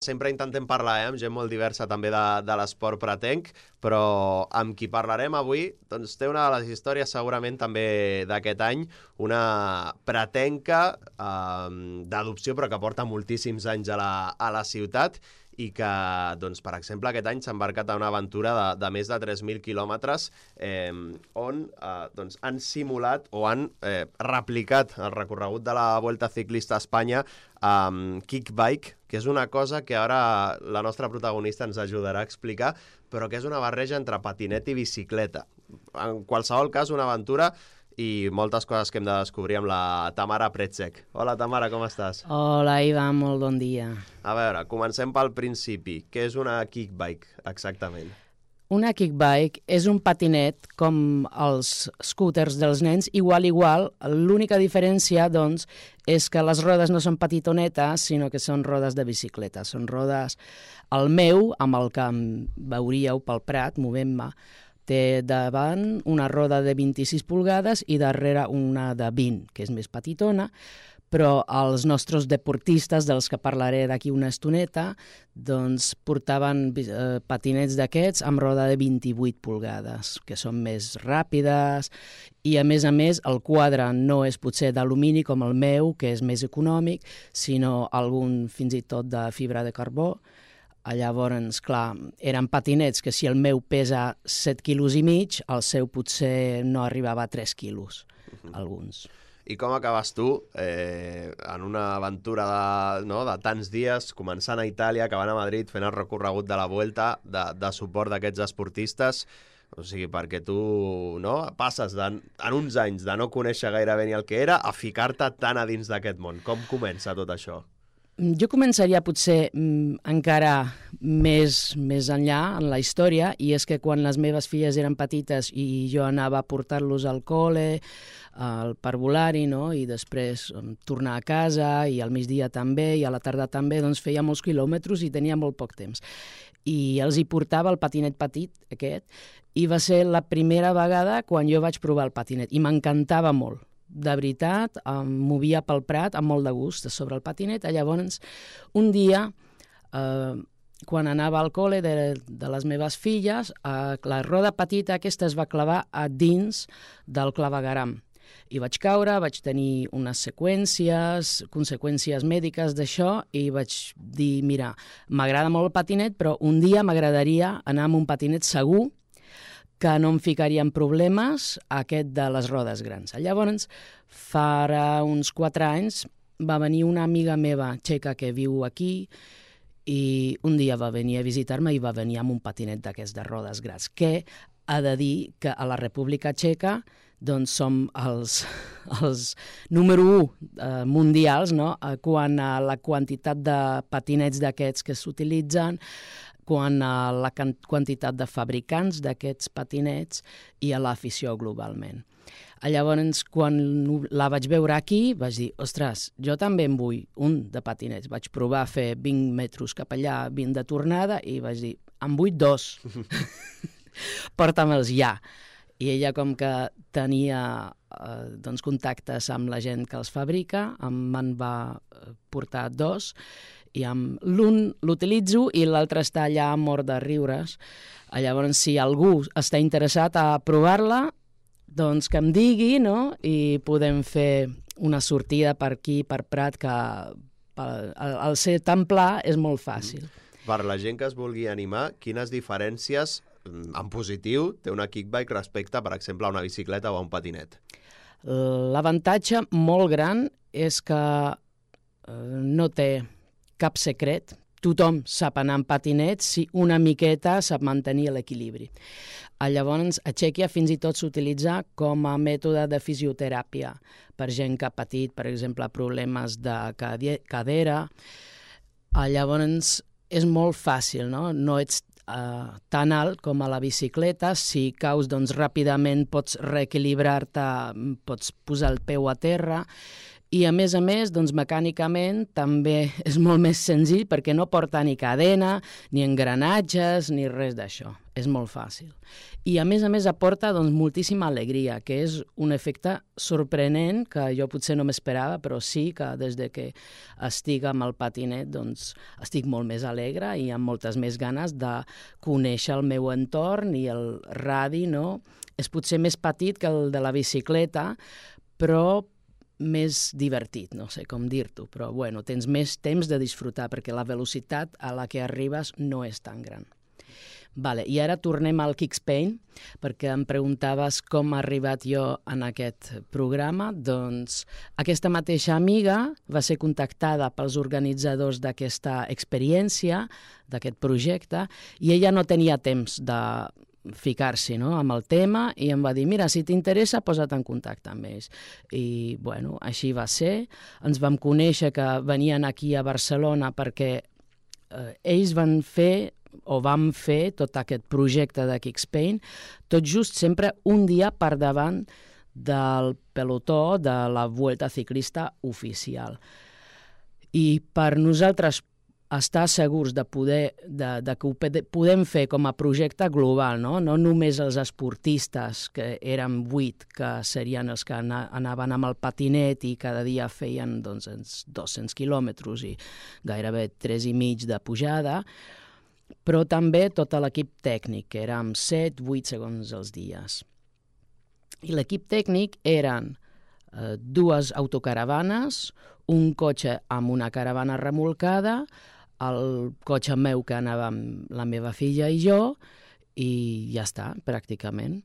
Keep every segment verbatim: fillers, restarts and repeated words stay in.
Sempre intentem parlar eh, amb gent molt diversa també de, de l'esport pretenc, però amb qui parlarem avui doncs, té una de les històries segurament també d'aquest any, una pretenca eh, d'adopció però que porta moltíssims anys a la, a la ciutat i que, doncs, per exemple, aquest any s'ha embarcat a una aventura de, de més de tres mil quilòmetres eh, on eh, doncs, han simulat o han eh, replicat el recorregut de la Vuelta Ciclista a Espanya amb kickbike, que és una cosa que ara la nostra protagonista ens ajudarà a explicar, però que és una barreja entre patinet i bicicleta. En qualsevol cas, una aventura i moltes coses que hem de descobrir amb la Tamara Pretzek. Hola, Tamara, com estàs? Hola, Ivan, molt bon dia. A veure, comencem pel principi. Què és una kickbike, exactament? Una kickbike és un patinet com els scooters dels nens, igual, igual. L'única diferència, doncs, és que les rodes no són petitonetes, sinó que són rodes de bicicleta. Són rodes... El meu, amb el que em veuríeu pel Prat, movent-me, té davant una roda de vint-i-sis polgades i darrere una de vint, que és més petitona, però els nostres deportistes, dels que parlaré d'aquí una estoneta, doncs portaven eh, patinets d'aquests amb roda de vint-i-vuit polgades, que són més ràpides, i a més a més el quadre no és potser d'alumini com el meu, que és més econòmic, sinó algun fins i tot de fibra de carbó. Llavors, clar, eren patinets que si el meu pesa set quilos i mig, el seu potser no arribava a tres quilos, uh-huh. alguns. I com acabes tu eh, en una aventura de, no, de tants dies, començant a Itàlia, acabant a Madrid, fent el recorregut de la Vuelta, de, de suport d'aquests esportistes? O sigui, perquè tu no, passes de, en uns anys de no conèixer gairebé ni el que era a ficar-te tan a dins d'aquest món. Com comença tot això? Jo començaria potser mm, encara més, més enllà en la història, i és que quan les meves filles eren petites i jo anava a portar-los al col·le, al parvulari, no? I després um, tornar a casa, i al migdia també, i a la tarda també, doncs feia molts quilòmetres i tenia molt poc temps. I els hi portava el patinet petit, aquest, i va ser la primera vegada quan jo vaig provar el patinet, i m'encantava molt. De veritat, em movia pel Prat amb molt de gust sobre el patinet. Llavors, un dia, eh, quan anava al col·le de, de les meves filles, eh, la roda petita aquesta es va clavar a dins del clavegueram. I vaig caure, vaig tenir unes seqüències, conseqüències mèdiques d'això, i vaig dir, mira, m'agrada molt el patinet, però un dia m'agradaria anar amb un patinet segur, que no em ficaria en problemes, aquest de les rodes grans. Llavors, fa uns quatre anys, va venir una amiga meva txeca que viu aquí, i un dia va venir a visitar-me i va venir amb un patinet d'aquests de rodes grans, que ha de dir que a la República Txeca doncs som els, els número u eh, mundials, no? Quant a la quantitat de patinets d'aquests que s'utilitzen, quant a la quantitat de fabricants d'aquests patinets i a l'afició globalment. Llavors, quan la vaig veure aquí, vaig dir, ostres, jo també en vull un de patinets. Vaig provar a fer vint metres cap allà, vint de tornada, i vaig dir, en vull dos. Porta'me'ls ja. I ella, com que tenia eh, doncs, contactes amb la gent que els fabrica, me'n va portar dos, i amb l'un l'utilitzo i l'altre està allà mort de riures. Llavors, si algú està interessat a provar-la, doncs que em digui, no? I podem fer una sortida per aquí, per Prat, que al ser tan pla és molt fàcil. Per la gent que es vulgui animar, quines diferències en positiu té una kickbike respecte, per exemple, a una bicicleta o a un patinet? L'avantatge molt gran és que no té cap secret. Tothom sap anar en patinet si una miqueta sap mantenir l'equilibri. Llavors, a Txèquia fins i tot s'utilitza com a mètode de fisioteràpia per gent que ha patit, per exemple, problemes de cadera. Llavors, és molt fàcil, no? No ets Uh, tan alt com a la bicicleta. Si caus, doncs ràpidament pots reequilibrar-te, pots posar el peu a terra, i a més a més, doncs mecànicament també és molt més senzill perquè no porta ni cadena, ni engranatges, ni res d'això. és molt fàcil. I a més a més aporta doncs, moltíssima alegria, que és un efecte sorprenent que jo potser no m'esperava, però sí que des de que estic amb el patinet doncs, estic molt més alegre i amb moltes més ganes de conèixer el meu entorn i el radi, no? És potser més petit que el de la bicicleta, però més divertit, no sé com dir-t'ho, però bueno, tens més temps de disfrutar perquè la velocitat a la que arribes no és tan gran. Vale, i ara tornem al Kickspain, perquè em preguntaves com ha arribat jo en aquest programa. Doncs aquesta mateixa amiga va ser contactada pels organitzadors d'aquesta experiència, d'aquest projecte, i ella no tenia temps de ficar-s'hi, no?, amb el tema, i em va dir, mira, si t'interessa, posa't en contacte amb ells. I, bueno, així va ser. Ens vam conèixer que venien aquí a Barcelona perquè eh, ells van fer o vam fer tot aquest projecte de Kickspain, tot just sempre un dia per davant del pelotó de la Vuelta Ciclista oficial. I per nosaltres estar segurs de, poder, de, de que ho podem fer com a projecte global, no? No només els esportistes, que eren vuit, que serien els que anaven amb el patinet i cada dia feien doncs, dos-cents quilòmetres i gairebé tres i mig de pujada, però també tot l'equip tècnic, que érem set vuit segons els dies. I l'equip tècnic eren eh, dues autocaravanes, un cotxe amb una caravana remolcada, el cotxe meu que anava amb la meva filla i jo, i ja està, pràcticament.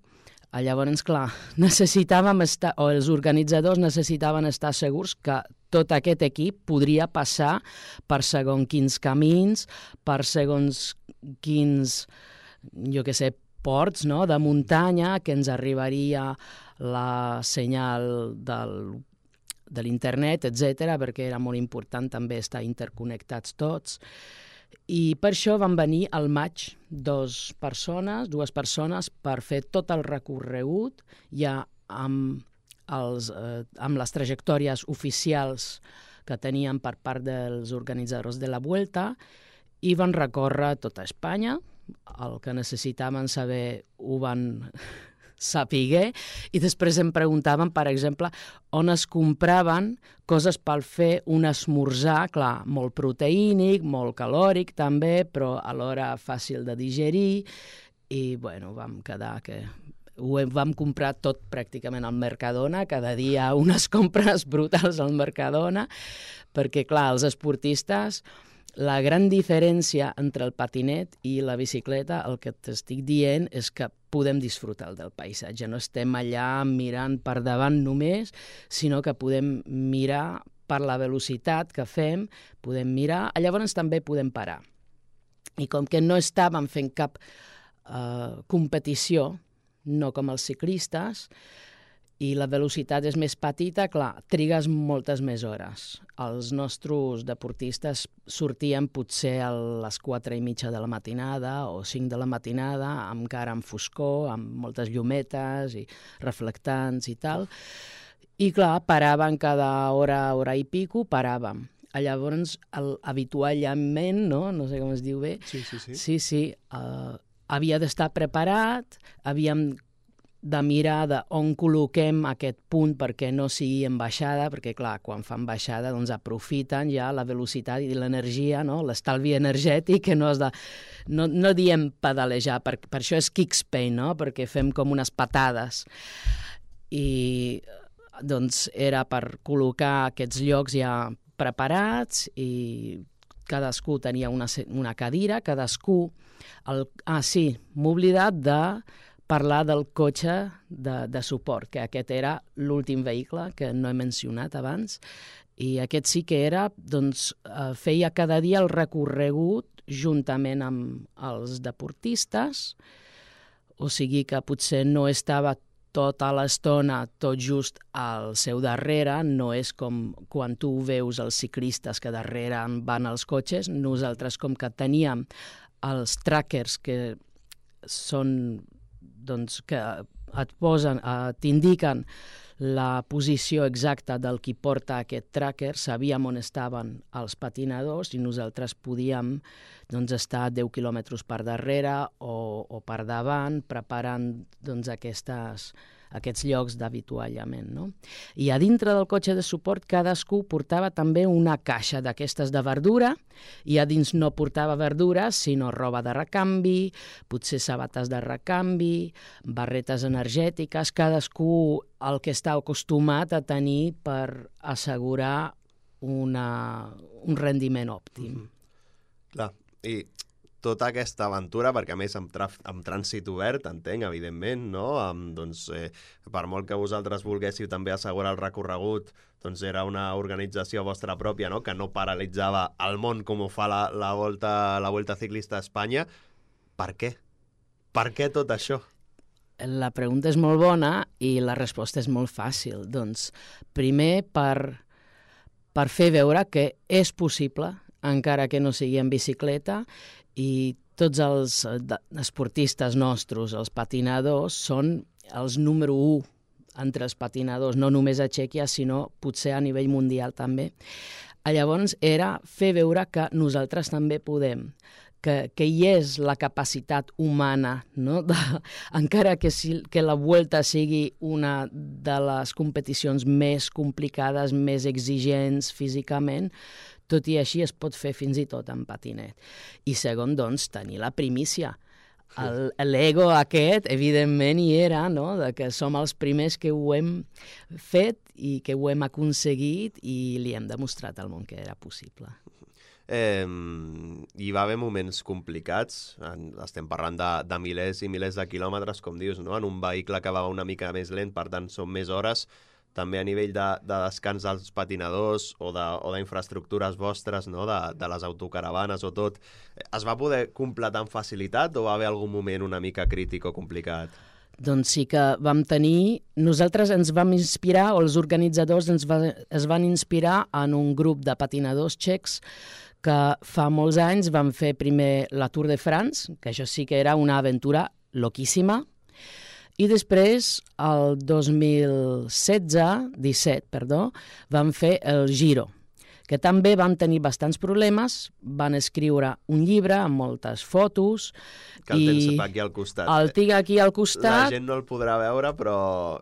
Llavors, clar, necessitàvem estar, o els organitzadors necessitaven estar segurs que tot aquest equip podria passar per segons quins camins, per segons quins, jo què sé, ports, no?, de muntanya, que ens arribaria la senyal del, de l'internet, etcètera, perquè era molt important també estar interconnectats tots. I per això van venir al maig dos persones, dues persones per fer tot el recorregut ja amb, els, eh, amb les trajectòries oficials que tenien per part dels organitzadors de la Vuelta i van recórrer tota Espanya. El que necessitaven saber ho van sapiguer, i després em preguntaven, per exemple, on es compraven coses per fer un esmorzar, clar, molt proteínic, molt calòric també, però alhora fàcil de digerir, i bueno, vam quedar que ho vam comprar tot pràcticament al Mercadona, cada dia unes compres brutals al Mercadona, perquè clar, els esportistes, la gran diferència entre el patinet i la bicicleta, el que t'estic dient, és que podem disfrutar del paisatge. No estem allà mirant per davant només, sinó que podem mirar per la velocitat que fem, podem mirar, llavors també podem parar. I com que no estàvem fent cap eh, competició, no com els ciclistes, i la velocitat és més petita, clar, trigues moltes més hores. Els nostres deportistes sortien potser a les quatre i mitja de la matinada o cinc de la matinada, encara amb foscor, amb moltes llumetes i reflectants i tal. I clar, paraven cada hora, hora i pico, paràvem. Llavors, el, habitualment, no? No sé com es diu bé. Sí, sí, sí. Sí, sí. Uh, havia d'estar preparat, havíem de mirar de on col·loquem aquest punt perquè no sigui en baixada, perquè, clar, quan fan baixada doncs aprofiten ja la velocitat i l'energia, no? L'estalvi energètic, que no has de... No, no diem pedalejar, per, per això és Kickspain, no? Perquè fem com unes patades. I doncs era per col·locar aquests llocs ja preparats i cadascú tenia una, una cadira, cadascú... El, ah, sí, m'he oblidat de parlar del cotxe de, de suport, que aquest era l'últim vehicle que no he mencionat abans, i aquest sí que era, doncs, eh, feia cada dia el recorregut juntament amb els deportistes, o sigui que potser no estava tota l'estona tot just al seu darrere, no és com quan tu veus els ciclistes que darrere van els cotxes, nosaltres com que teníem els trackers que són doncs, que et posen, eh, t'indiquen la posició exacta del qui porta aquest tracker, sabíem on estaven els patinadors i nosaltres podíem doncs, estar deu quilòmetres per darrere o, o per davant preparant doncs, aquestes, aquests llocs d'avituallament. No? I a dintre del cotxe de suport cadascú portava també una caixa d'aquestes de verdura i a dins no portava verdura sinó roba de recanvi, potser sabates de recanvi, barretes energètiques, cadascú el que està acostumat a tenir per assegurar una, un rendiment òptim. Mm-hmm. Clar, i tota aquesta aventura, perquè a més amb, amb trànsit obert, entenc, evidentment, no? Amb, doncs, eh, per molt que vosaltres volguéssiu també assegurar el recorregut, doncs era una organització vostra pròpia, no? Que no paralitzava el món com ho fa la, la, volta, la Vuelta Ciclista a Espanya. Per què? Per què tot això? La pregunta és molt bona i la resposta és molt fàcil. Doncs, primer, per, per fer veure que és possible, encara que no sigui en bicicleta, i tots els esportistes nostres, els patinadors, són els número u entre els patinadors, no només a Txèquia, sinó potser a nivell mundial també. Llavors era fer veure que nosaltres també podem, que, que hi és la capacitat humana, no? de, encara que, si, que la Vuelta sigui una de les competicions més complicades, més exigents físicament, tot i així es pot fer fins i tot en patinet. I segon, doncs, tenir la primícia. L'ego aquest, evidentment, hi era, no? De que som els primers que ho hem fet i que ho hem aconseguit i li hem demostrat al món que era possible. Eh, hi va haver moments complicats, estem parlant de, de milers i milers de quilòmetres, com dius, no? En un vehicle que va una mica més lent, per tant són més hores, també a nivell de, de descans dels patinadors o d'infraestructures vostres, no? de, de les autocaravanes o tot, es va poder completar amb facilitat o va haver algun moment una mica crític o complicat? Doncs sí que vam tenir... Nosaltres ens vam inspirar, o els organitzadors ens va, es van inspirar en un grup de patinadors txecs que fa molts anys van fer primer la Tour de France, que això sí que era una aventura loquíssima, i després, el dos mil setze, disset, perdó, van fer el Giro, que també van tenir bastants problemes, van escriure un llibre amb moltes fotos. Que el tens aquí al costat. El tinc aquí al costat. La gent no el podrà veure, però,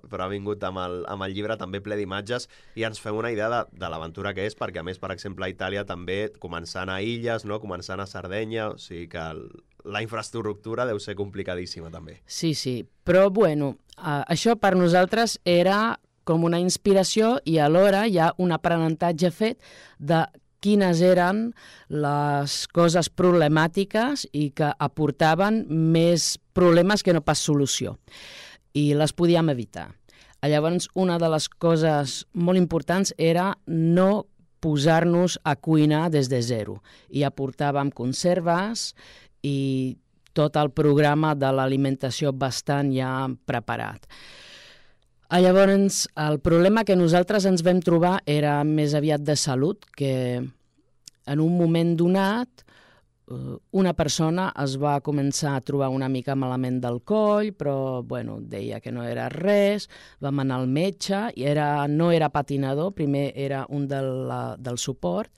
però ha vingut amb el, amb el llibre també ple d'imatges i ens fem una idea de, de l'aventura que és, perquè a més, per exemple, a Itàlia també començant a illes, no? Començant a Sardenya, o sigui que el, la infraestructura deu ser complicadíssima també. Sí, sí, però bueno, uh, això per nosaltres era com una inspiració i alhora hi ha un aprenentatge fet de quines eren les coses problemàtiques i que aportaven més problemes que no pas solució. I les podíem evitar. Llavors, una de les coses molt importants era no posar-nos a cuinar des de zero. I aportàvem conserves i tot el programa de l'alimentació bastant ja preparat. Llavors, el problema que nosaltres ens vam trobar era més aviat de salut, que en un moment donat una persona es va començar a trobar una mica malament del coll, però bueno, deia que no era res, vam anar al metge, i era, no era patinador, primer era un de la, del suport,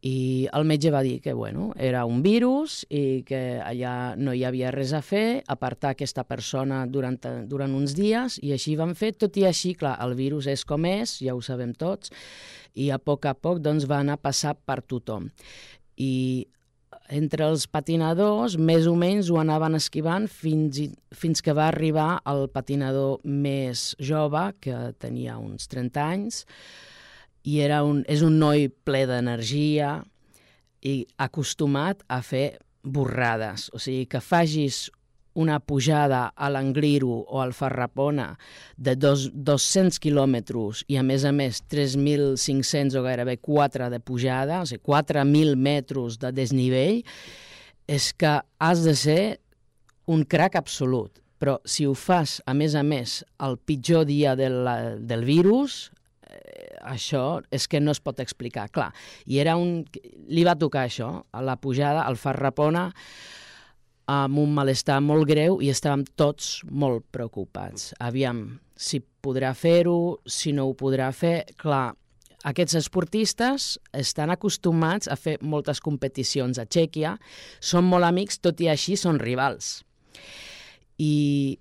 i el metge va dir que bueno, era un virus i que allà no hi havia res a fer, apartar aquesta persona durant, durant uns dies, i així van fer, tot i així, clar, el virus és com és, ja ho sabem tots, i a poc a poc doncs, va anar a passar per tothom. I entre els patinadors, més o menys ho anaven esquivant fins, fins que va arribar el patinador més jove, que tenia uns trenta anys, i era un, és un noi ple d'energia i acostumat a fer borrades. O sigui, que facis una pujada a l'Angliru o al Farrapona de dos, dos-cents quilòmetres i, a més a més, tres mil cinc-cents o gairebé quatre de pujada, o sigui, quatre mil metres de desnivell, és que has de ser un crac absolut. Però si ho fas, a més a més, el pitjor dia del, del virus, això és que no es pot explicar, clar. I era un... li va tocar això, a la pujada, al Farrapona, amb un malestar molt greu i estàvem tots molt preocupats. Aviam, si podrà fer-ho, si no ho podrà fer. Clar, aquests esportistes estan acostumats a fer moltes competicions a Txèquia, són molt amics, tot i així són rivals. I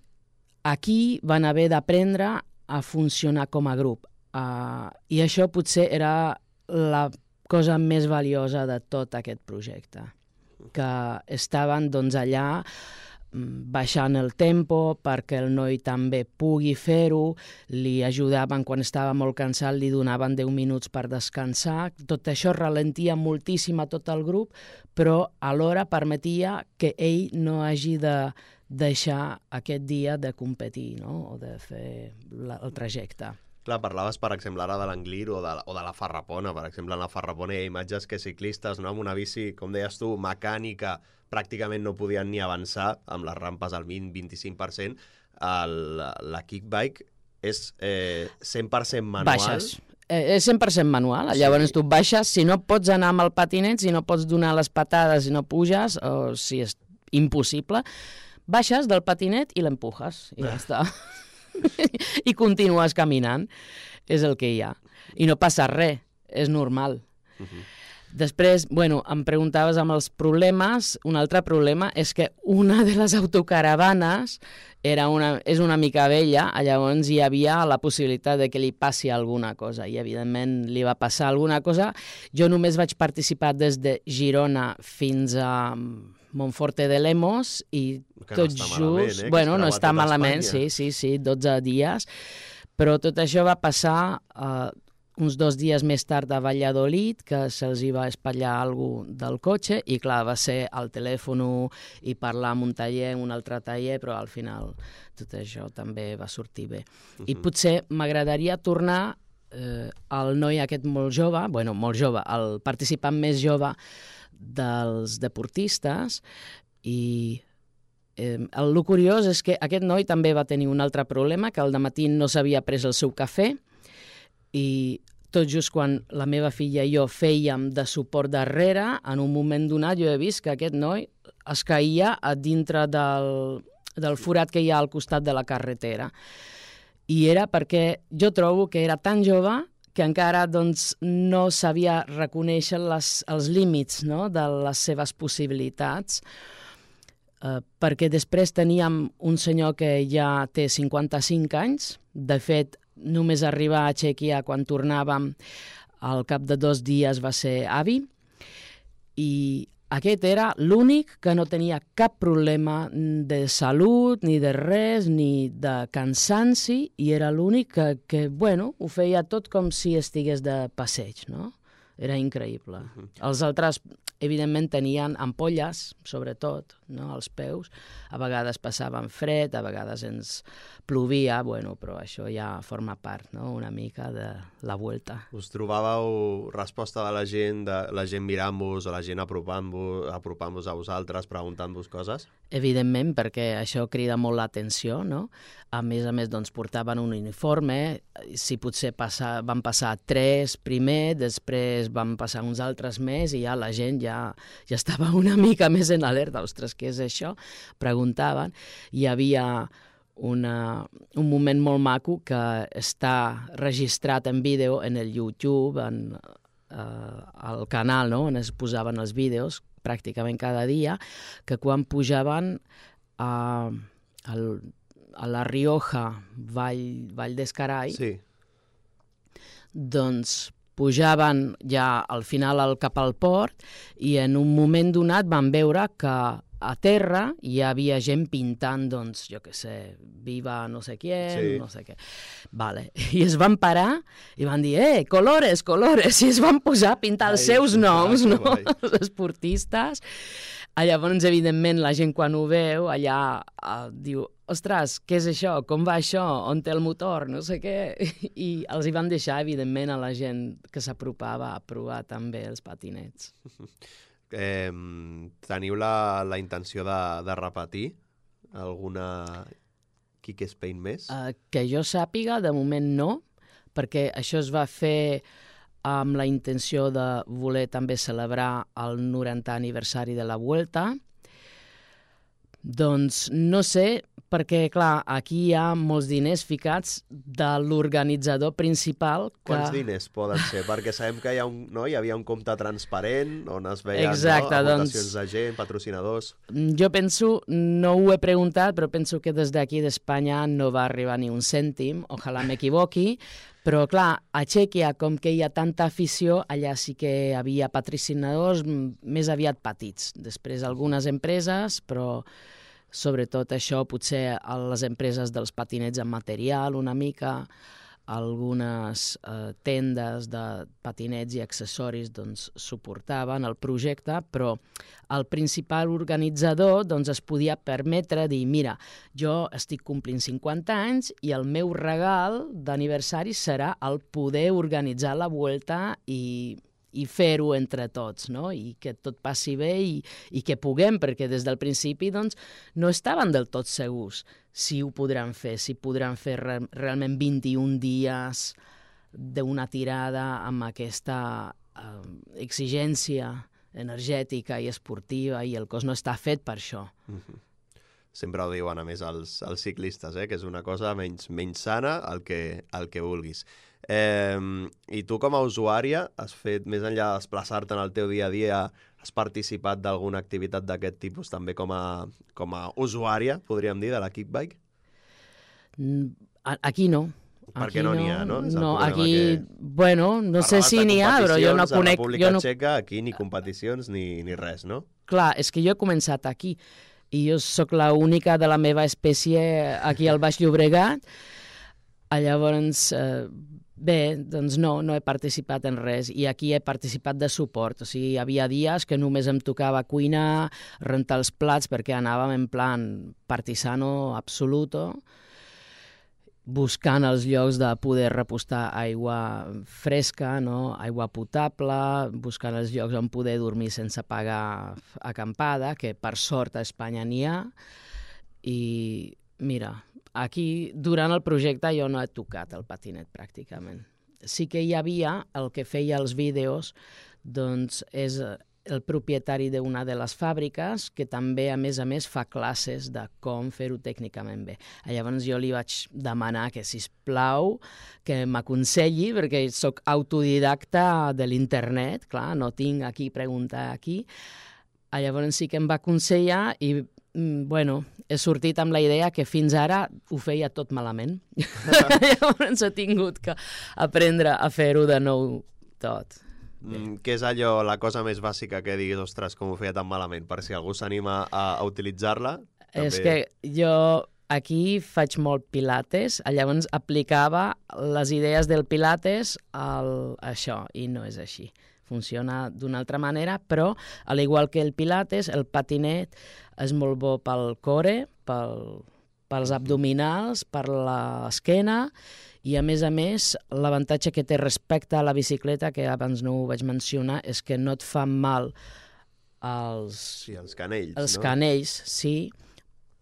aquí van haver d'aprendre a funcionar com a grup. Uh, I això potser era la cosa més valiosa de tot aquest projecte, que estaven doncs, allà baixant el tempo perquè el noi també pugui fer-ho, li ajudaven quan estava molt cansat, li donaven deu minuts per descansar. Tot això ralentia moltíssim a tot el grup, però alhora permetia que ell no hagi de deixar aquest dia de competir, no? O de fer la, el trajecte. Clar, parlaves, per exemple, ara de l'Anglir o, de, o de la Farrapona. Per exemple, en la Farrapona hi ha imatges que ciclistes, no? Amb una bici, com deies tu, mecànica, pràcticament no podien ni avançar, amb les rampes al vint a vint-i-cinc per cent. El, la kickbike és eh, cent per cent manual. Baixes. Eh, és cent per cent manual. Sí. Llavors tu baixes, si no pots anar amb el patinet, si no pots donar les patades, si no puges, o si és impossible, baixes del patinet i l'empujes, i ja està. I continues caminant, és el que hi ha. I no passa res, és normal. Uh-huh. Després, bueno, em preguntaves amb els problemes. Un altre problema és que una de les autocaravanes era una, és una mica vella, llavors hi havia la possibilitat de que li passi alguna cosa, i evidentment li va passar alguna cosa. Jo només vaig participar des de Girona fins a Monforte de Lemos i que tot no just... Malament, eh? Bueno, no està malament, sí, sí, sí, dotze dies, però tot això va passar uh, uns dos dies més tard a Valladolid, que se'ls hi va espatllar alguna cosa del cotxe, i clar, va ser al telèfon i parlar amb un taller, un altre taller, però al final tot això també va sortir bé. Uh-huh. I potser m'agradaria tornar eh, al noi aquest molt jove, bueno, molt jove, el participant més jove dels deportistes, i eh, el, el curiós és que aquest noi també va tenir un altre problema, que al dematí no s'havia pres el seu cafè, i tot just quan la meva filla i jo fèiem de suport darrere, en un moment donat jo he vist que aquest noi es caïa a dintre del, del forat que hi ha al costat de la carretera. I era perquè jo trobo que era tan jove que encara doncs, no sabia reconèixer les, els límits, no?, de les seves possibilitats, eh, perquè després teníem un senyor que ja té cinquanta-cinc anys, de fet, només arribar a Txèquia quan tornàvem, al cap de dos dies va ser avi, i aquest era l'únic que no tenia cap problema de salut, ni de res, ni de cansanci, i era l'únic que, que, bueno, ho feia tot com si estigués de passeig, no? Era increïble. Uh-huh. Els altres, evidentment, tenien ampolles, sobretot, no?, als peus. A vegades passaven fred, a vegades ens plovia, bueno, però això ja forma part, no?, una mica de la vuelta. Us trobàveu resposta de la gent, de la gent mirant-vos o la gent apropant-vos, apropant-vos a vosaltres, preguntant-vos coses? Evidentment, perquè això crida molt l'atenció, no? A més a més, doncs, portaven un uniforme, si potser passa, van passar tres primer, després van passar uns altres més, i ja la gent ja, ja estava una mica més en alerta. Ostres, què és això? Preguntaven. Hi havia una, un moment molt maco que està registrat en vídeo en el YouTube, en eh, el canal, no?, on es posaven els vídeos pràcticament cada dia, que quan pujaven a, a, a la Rioja, Vall, Vall d'Escarai, sí, doncs pujaven ja al final al, cap al port, i en un moment donat van veure que a terra hi havia gent pintant, doncs, jo què sé, viva no sé qui, sí, no sé què. Vale. I es van parar i van dir, eh, colores, colores, i es van posar a pintar els ai, seus noms, no?, els esportistes. Llavors, evidentment, la gent quan ho veu, allà uh, diu, ostres, què és això? Com va això? On té el motor? No sé què. I els hi van deixar, evidentment, a la gent que s'apropava a provar també els patinets. Eh, teniu la, la intenció de, de repetir alguna Kick Spain més? Uh, que jo sàpiga, de moment no, perquè això es va fer amb la intenció de voler també celebrar el norantè aniversari de la Vuelta. Doncs no sé, perquè, clar, aquí hi ha molts diners ficats de l'organitzador principal. Que... Quants diners poden ser? Perquè sabem que hi, ha un, no? hi havia un compte transparent on es veien Exacte, no? aportacions doncs, de gent, patrocinadors... Jo penso, no ho he preguntat, però penso que des d'aquí d'Espanya no va arribar ni un cèntim, ojalà m'equivoqui, però clar, a Txèquia, com que hi ha tanta afició, allà sí que hi havia patrocinadors més aviat petits. Després algunes empreses, però sobretot això, potser a les empreses dels patinets amb material una mica, algunes eh, tendes de patinets i accessoris doncs, suportaven el projecte, però el principal organitzador doncs, es podia permetre dir, mira, jo estic complint cinquanta anys i el meu regal d'aniversari serà el poder organitzar la Vuelta i i fer-ho entre tots, no? I que tot passi bé i, i que puguem, perquè des del principi doncs, no estaven del tot segurs si ho podran fer, si podran fer re realment vint-i-un dies d'una tirada amb aquesta eh, exigència energètica i esportiva, i el cos no està fet per això. Mm-hmm. Sempre ho diuen, a més, els, els ciclistes, eh? Que és una cosa menys, menys sana, el que, el que vulguis. Eh, I tu, com a usuària, has fet, més enllà de desplaçar-te en el teu dia a dia, has participat d'alguna activitat d'aquest tipus també com a, com a usuària, podríem dir, de la kickbike? Aquí no. Perquè no n'hi ha, no? És no, aquí, que... bueno, no sé si n'hi ha, però jo no conec... A la República jo no... Txeca, aquí ni competicions ni, ni res, no? Clar, és que jo he començat aquí, i jo sóc l'única de la meva espècie aquí al Baix Llobregat. Llavors, eh, bé, doncs no, no he participat en res, i aquí he participat de suport. O sigui, hi havia dies que només em tocava cuinar, rentar els plats, perquè anàvem en plan partisano absoluto, buscant els llocs de poder repostar aigua fresca, no? Aigua potable, buscant els llocs on poder dormir sense pagar acampada, que per sort a Espanya n'hi ha. I mira, aquí durant el projecte jo no he tocat el patinet pràcticament. Sí que hi havia, el que feia els vídeos, doncs és el propietari d'una de les fàbriques, que també, a més a més, fa classes de com fer-ho tècnicament bé. Llavors jo li vaig demanar que, sisplau, que m'aconselli, perquè sóc autodidacta de l'internet, clar, no tinc aquí preguntar aquí. Llavors sí que em va aconsellar i, bueno, he sortit amb la idea que fins ara ho feia tot malament. Llavors he tingut que aprendre a fer-ho de nou tot. Mm, què és allò, la cosa més bàsica que diguis, ostres, com ho feia tan malament, per si algú s'anima a, a utilitzar-la? També... És que jo aquí faig molt pilates, llavors aplicava les idees del pilates al això, i no és així. Funciona d'una altra manera, però, al igual que el pilates, el patinet és molt bo pel core, pel, pels abdominals, per l'esquena, i a més a més l'avantatge que té respecte a la bicicleta, que abans no ho vaig mencionar, és que no et fan mal els, sí, els canells, els no? canells, sí,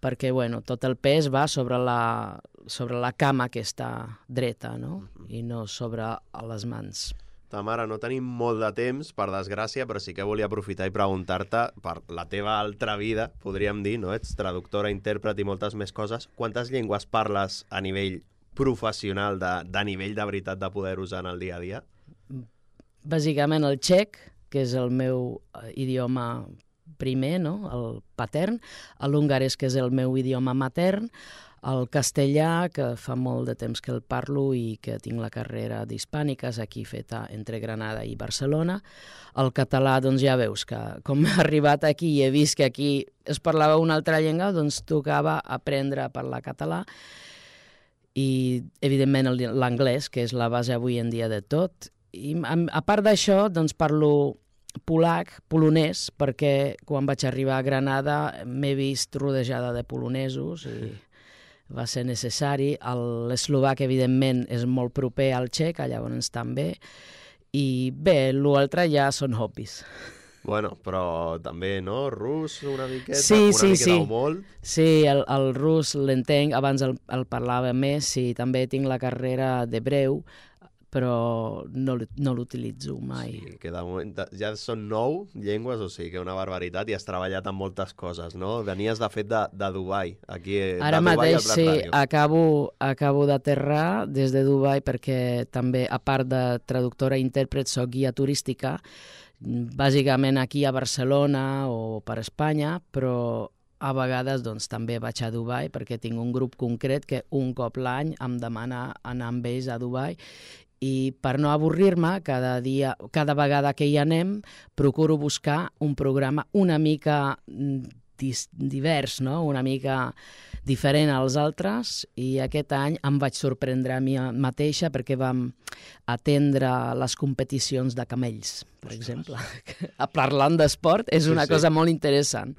perquè bueno, tot el pes va sobre la, sobre la cama que està dreta, no? Uh-huh. I no sobre les mans. Tamara, no tenim molt de temps, per desgràcia, però sí que volia aprofitar i preguntar-te per la teva altra vida, podríem dir, no? Ets traductora, intèrpret i moltes més coses. Quantes llengües parles a nivell professional, de, de nivell de veritat de poder usar en el dia a dia? Bàsicament el txec, que és el meu idioma primer, no? El patern, l'hongarès, que és el meu idioma matern, el castellà, que fa molt de temps que el parlo i que tinc la carrera d'hispàniques aquí feta entre Granada i Barcelona. El català, doncs ja veus que com he arribat aquí i he vist que aquí es parlava una altra llengua, doncs tocava aprendre a parlar català. I, evidentment, l'anglès, que és la base avui en dia de tot. I, a part d'això, doncs, parlo polac, polonès, perquè quan vaig arribar a Granada m'he vist rodejada de polonesos i va ser necessari. L'eslovac, evidentment, és molt proper al txec, llavors també. I bé, l'altre ja són hobbies. Bueno, però també, no? Rus, una miqueta, sí, una sí, miqueta sí. o molt. Sí, el, el rus l'entenc, abans el, el parlava més, sí, també tinc la carrera d'hebreu, però no, l'u- no l'utilitzo mai. Sí, que de moment ja són nou llengües, o sigui que una barbaritat, i has treballat en moltes coses, no? Venies, de fet, de, de Dubai, aquí, Ara de Dubai mateix al Prat sí, Ràdio. acabo, acabo d'aterrar des de Dubai perquè també, a part de traductora i intèrpret, soc guia turística, bàsicament aquí a Barcelona o per Espanya, però a vegades doncs, també vaig a Dubai perquè tinc un grup concret que un cop l'any em demana anar amb ells a Dubai, i per no avorrir-me, cada dia, cada vegada que hi anem, procuro buscar un programa una mica dis, divers, no? Una mica diferent als altres, i aquest any em vaig sorprendre a mi mateixa perquè vam atendre les competicions de camells, per exemple. Parlant d'esport és una Sí, sí. cosa molt interessant.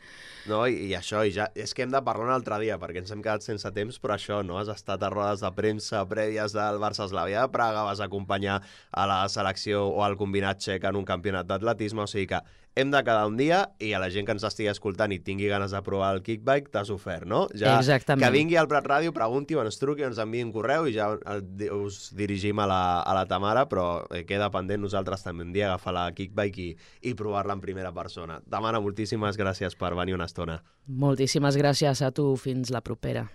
No, i, i això, i ja, és que hem de parlar un altre dia, perquè ens hem quedat sense temps, però això, no? Has estat a rodes de premsa prèvies del Barça Eslavia de Praga, vas acompanyar a la selecció o al combinat txec en un campionat d'atletisme, o sigui que hem de quedar un dia, i a la gent que ens estigui escoltant i tingui ganes de provar el kickbike, t'has ofert, no? Ja, Exactament. que vingui al Prat Ràdio, pregunti, o ens truqui, o ens enviï un correu, i ja us dirigim a la, a la Tamara, però queda pendent nosaltres també un dia agafar la kickbike i, i provar-la en primera persona. Tamara, moltíssimes gràcies per venir una estona. Moltíssimes gràcies a tu, fins la propera.